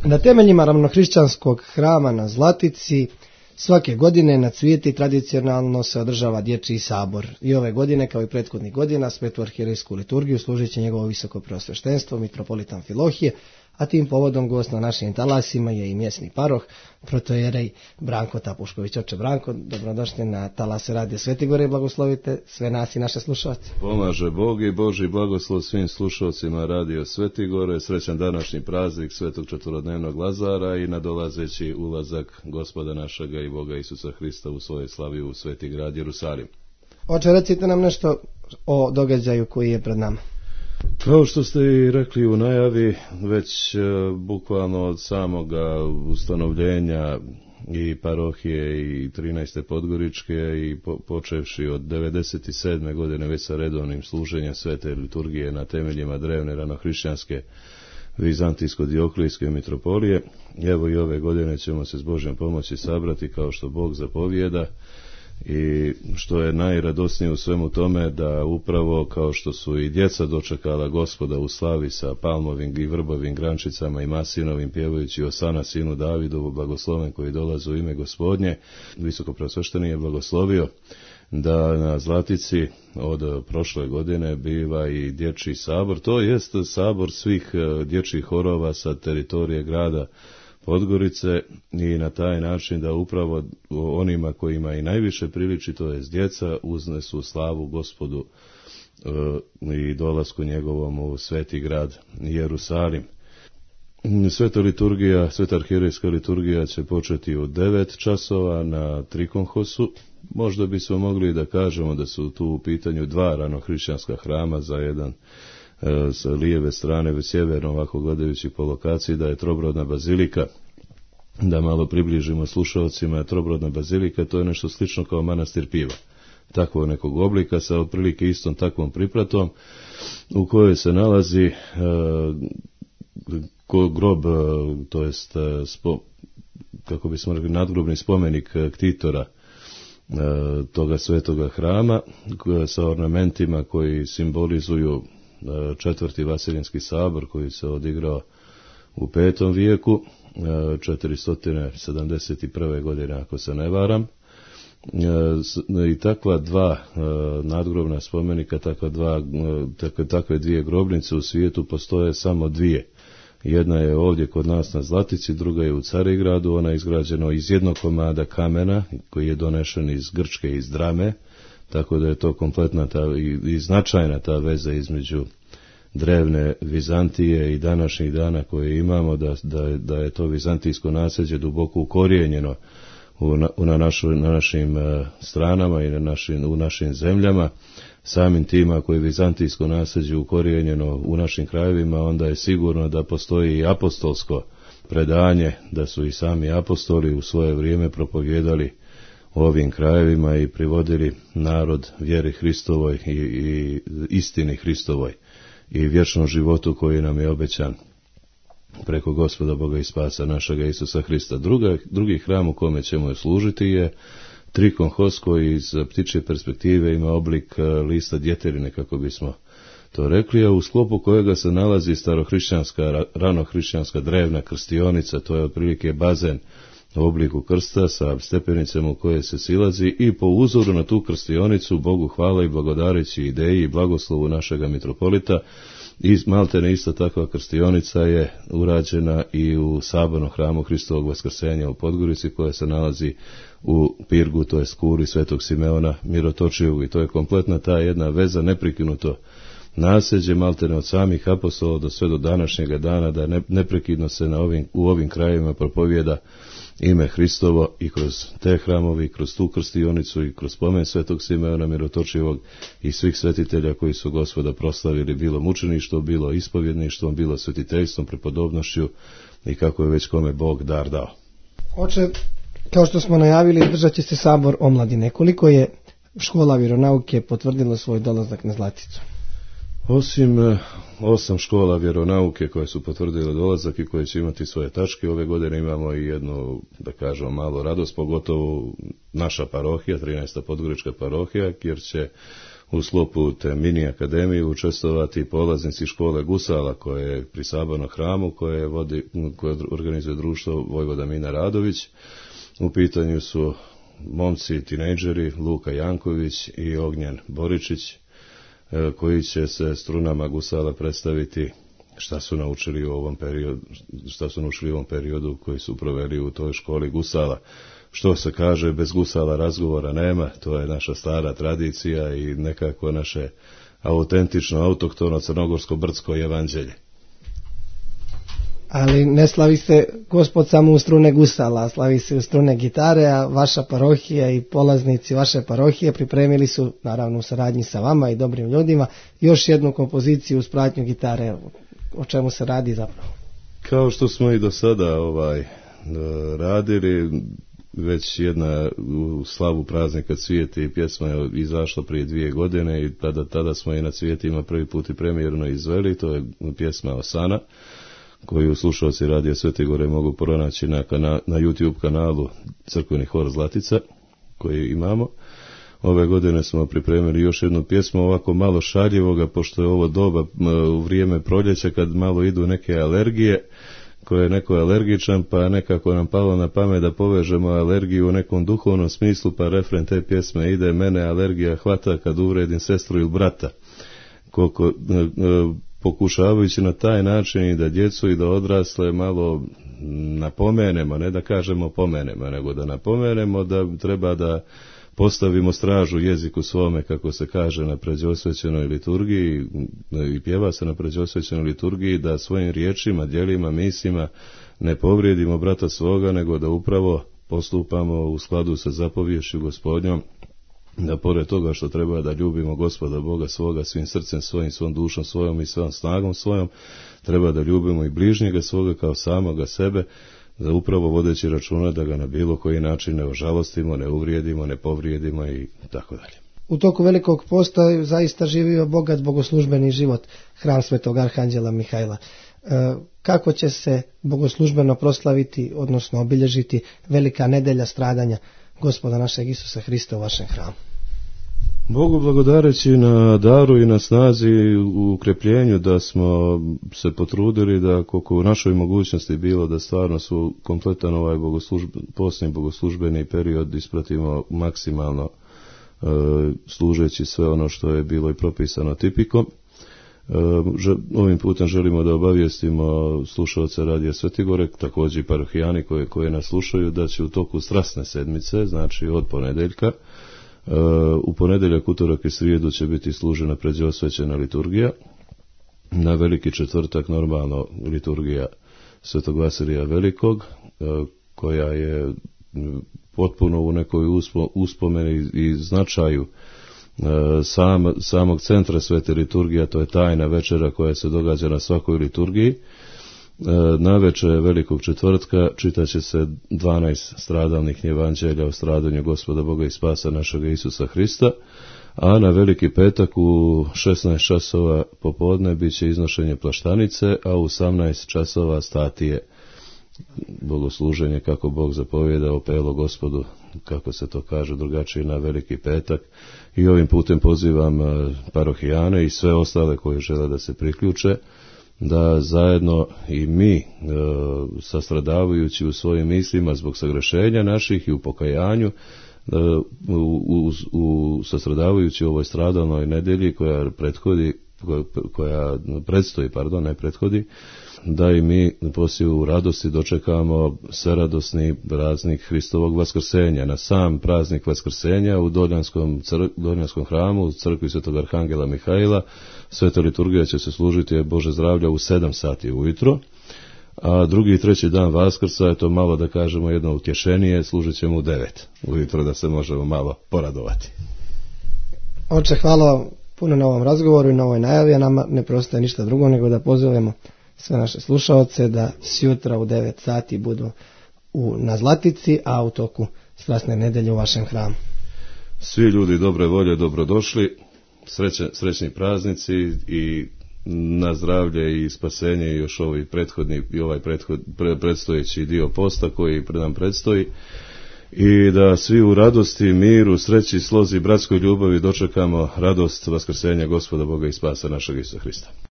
Na temeljima ravnohrišćanskog hrama na Zlatici svake godine na Cvijeti tradicionalno se održava dječji sabor. I ove godine, kao i prethodnih godina, svetu arhijerejsku liturgiju služit će njegovo visoko preosveštenstvo, mitropolitan Filohije, a tim povodom gost na našim talasima je i mjesni paroh, protojerej Branko Tapušković. Oče Branko, dobrodošli na talase Radija Svetigore i blagoslovite sve nas i naše slušalce. Pomaže Bog i Božji blagoslov svim slušalcima Radio Svetigore, srećan današnji praznik Svetog četvorodnevnog Lazara i nadolazeći ulazak Gospoda našega i Boga Isusa Hrista u svoje slavi u Sveti grad Jerusalim. Oče, recite nam nešto o događaju koji je pred nama. Kao što ste i rekli u najavi, već bukvalno od samoga ustanovljenja i parohije i 13. Podgoričke i počevši od 97. godine već sa redovnim služenjem svete liturgije na temeljima drevne ranohrišćanske vizantijsko-dioklijske mitropolije. Evo i ove godine ćemo se s Božjom pomoći sabrati kao što Bog zapovijeda. I što je najradosnije u svemu tome, da upravo kao što su i djeca dočekala Gospoda u slavi sa palmovim i vrbovim grančicama i masinovim pjevajući Osana sinu Davidovu, blagosloven koji dolazi u ime Gospodnje, visoko preosvešteni je blagoslovio da na Zlatici od prošle godine biva i dječji sabor, to jest sabor svih dječjih horova sa teritorije grada Podgorice, i na taj način da upravo onima kojima i najviše priliči, to je djeca, uznesu slavu Gospodu i dolasku njegovom u sveti grad Jerusalim. Sveta liturgija, sveta arhijerejska liturgija će početi u 9 časova na Trikonhosu. Možda bismo mogli da kažemo da su tu u pitanju dva ranohrišćanska hrama, za jedan sa lijeve strane, već sjeverno, ovako gledajući po lokaciji, da je Trobrodna bazilika. Da malo približimo slušalcima, Trobrodna bazilika, to je nešto slično kao manastir Piva, takvog nekog oblika sa otprilike istom takvom pripratom, u kojoj se nalazi grob, to jest kako bismo rekli, nadgrobni spomenik ktitora toga svetoga hrama, sa ornamentima koji simbolizuju četvrti Vaseljenski sabor koji se odigrao u 5. vijeku, 471. godine ako se ne varam. I takva dva nadgrobna spomenika, takve dvije grobnice u svijetu postoje samo dvije. Jedna je ovdje kod nas na Zlatici, druga je u Carigradu, ona je izgrađena iz jednog komada kamena koji je donešen iz Grčke, iz Drame, tako da je to kompletna i značajna ta veza između drevne Vizantije i današnjih dana koje imamo, da je to vizantijsko nasljeđe duboko ukorijenjeno na našim stranama i u našim zemljama. Samim tim, ako je vizantijsko nasljeđe ukorijenjeno u našim krajevima, onda je sigurno da postoji i apostolsko predanje, da su i sami apostoli u svoje vrijeme propovijedali ovim krajevima i privodili narod vjeri Hristovoj i istini Hristovoj i vječnom životu koji nam je obećan preko Gospoda Boga i Spasa našega Isusa Hrista. Drugi hram u kome ćemo služiti je Trikonhos, koji iz ptičje perspektive ima oblik lista djeterine, kako bismo to rekli, a u sklopu kojega se nalazi starohrišćanska, ranohrišćanska drevna krstionica, to je otprilike bazen u obliku krsta sa stepenicama u koje se silazi, i po uzoru na tu krstionicu Bogu hvala i blagodareći ideji i blagoslovu našega mitropolita, i maltene ista takva krstionica je urađena i u sabornom hramu Hristovog vaskrsenja u Podgorici, koja se nalazi u Pirgu, to je kuri Svetog Simeona Mirotočivog, i to je kompletna ta jedna veza, neprekinuto nasljeđe maltene od samih apostola do sve do današnjega dana, da neprekidno se u ovim krajevima propovijeda ime Hristovo, i kroz te hramovi, i kroz tu krstionicu, i kroz spomen Svetog Simeona Mirotočivog i svih svetitelja koji su Gospoda proslavili, bilo mučeništvom, bilo ispovjedništvom, bilo svetiteljstvom, prepodobnošću i kako je već kome Bog dar dao. Oče, kao što smo najavili, držat će se sabor omladine. Koliko je škola vjeronauke potvrdilo svoj dolazak na Zlaticu? Osim 8 škola vjeronauke koje su potvrdile dolazak i koje će imati svoje tačke, ove godine imamo i jednu, da kažemo, malu radost, pogotovo naša parohija, 13. Podgorička parohija, jer će u sklopu te mini akademije učestvovati polaznici škole gusala koje je pri Sabornom hramu, koje organizuje društvo Vojvoda Mina Radović. U pitanju su momci, tinejdžeri, Luka Janković i Ognjen Boričić, koji će se strunama gusala predstaviti šta su naučili u ovom periodu koji su proveli u toj školi gusala. Što se kaže, bez gusala razgovora nema, to je naša stara tradicija i nekako naše autentično, autohtono crnogorsko-brdsko evanđelje. Ali ne slavi se Gospod samo u strune gusala, slavi se u strune gitare, a vaša parohija i polaznici vaše parohije pripremili su, naravno u saradnji sa vama i dobrim ljudima, još jednu kompoziciju uz pratnju gitare. O čemu se radi zapravo? Kao što smo i do sada radili, već jedna u slavu praznika Cvijeti i pjesma je izašla prije 2 godine i tada smo i na Cvijetima prvi put i premijerno izveli. To je pjesma Osana, koju slušalci Radija Svete Gore mogu pronaći na YouTube kanalu Crkveni hor Zlatica koji imamo. Ove godine smo pripremili još jednu pjesmu ovako malo šaljivoga, pošto je ovo doba u vrijeme proljeća kad malo idu neke alergije, koje je neko alergičan, pa nekako nam palo na pamet da povežemo alergiju u nekom duhovnom smislu, pa refren te pjesme ide: mene alergija hvata kad uvredim sestru ili brata. Pokušavajući na taj način i da djecu i da odrasle malo napomenemo, ne da kažemo pomenemo, nego da napomenemo da treba da postavimo stražu jeziku svome, kako se kaže na pređosvećenoj liturgiji i pjeva se na pređosvećenoj liturgiji, da svojim riječima, djelima, mislima ne povrijedimo brata svoga, nego da upravo postupamo u skladu sa zapovješću Gospodnjom, da pored toga što treba da ljubimo Gospoda Boga svoga svim srcem svojim, svom dušom svojom i svom snagom svojom, treba da ljubimo i bližnjega svoga kao samoga sebe, da upravo vodeći računa da ga na bilo koji način ne ožalostimo, ne uvrijedimo, ne povrijedimo i tako dalje. U toku Velikog posta zaista živio bogat bogoslužbeni život hram Svetog Arhanđela Mihajla. Kako će se bogoslužbeno proslaviti, odnosno obilježiti Velika nedelja stradanja Gospoda našeg Isusa Hrista u vašem hramu? Bogu благодарeći na daru i na snazi u ukrepljenju da smo se potrudili da koliko u našoj mogućnosti bilo da stvarno su kompletan ovaj posljednji bogoslužbeni period ispratimo maksimalno služeći sve ono što je bilo i propisano tipikom. Ovim putem želimo da obavijestimo slušalce Radija Svete Gore, također i parohijani koje nas slušaju, da će u toku strasne sedmice, znači od ponedeljka, u ponedjeljak, utorak i srijedu će biti služena pređosvećena liturgija. Na Veliki četvrtak normalno liturgija Svetog Vasilija Velikog, koja je potpuno u nekoj uspomeni i značaju samog centra svete liturgije, to je tajna večera koja se događa na svakoj liturgiji. Navečer Velikog četvrtka čitat će se 12 stradalnih evanđelja o stradanju Gospoda Boga i spasa našega Isusa Hrista, a na Veliki petak u 16 časova popodne bit će iznošenje plaštanice, a u 18 časova statije, bogosluženje kako Bog zapovjeda, opelo Gospodu, kako se to kaže drugačije, na Veliki petak. I ovim putem pozivam parohijane i sve ostale koji žele da se priključe, da zajedno i mi, sastradavajući u svojim mislima zbog sagrešenja naših i u pokajanju, sastradavajući u ovoj stradalnoj nedjelji koja predstoji, da i mi poslije u radosti dočekamo sveradosni praznik Hristovog vaskrsenja. Na sam praznik vaskrsenja u Doljanskom hramu, u crkvi Svetog Arhangela Mihajla, sveta liturgija će se služiti Bože zdravlja u 7 sati ujutro, a drugi i treći dan Vaskrsa je to malo da kažemo jedno utješenije, služit ćemo u 9 ujutro da se možemo malo poradovati. Oče, hvala puno na ovom razgovoru i na ovoj najavi, a nama ne preostaje ništa drugo nego da pozovemo sve naše slušaoce da sjutra u 9 sati budu na Zlatici, a u toku strasne nedelje u vašem hramu. Svi ljudi dobre volje dobrodošli, srećni praznici i na zdravlje i spasenje i još ovaj predstojeći dio posta koji nam predstoji. i da svi u radosti, miru, sreći, slozi, bratskoj ljubavi dočekamo radost vaskrsenja Gospoda Boga i spasa našeg Isusa Hrista.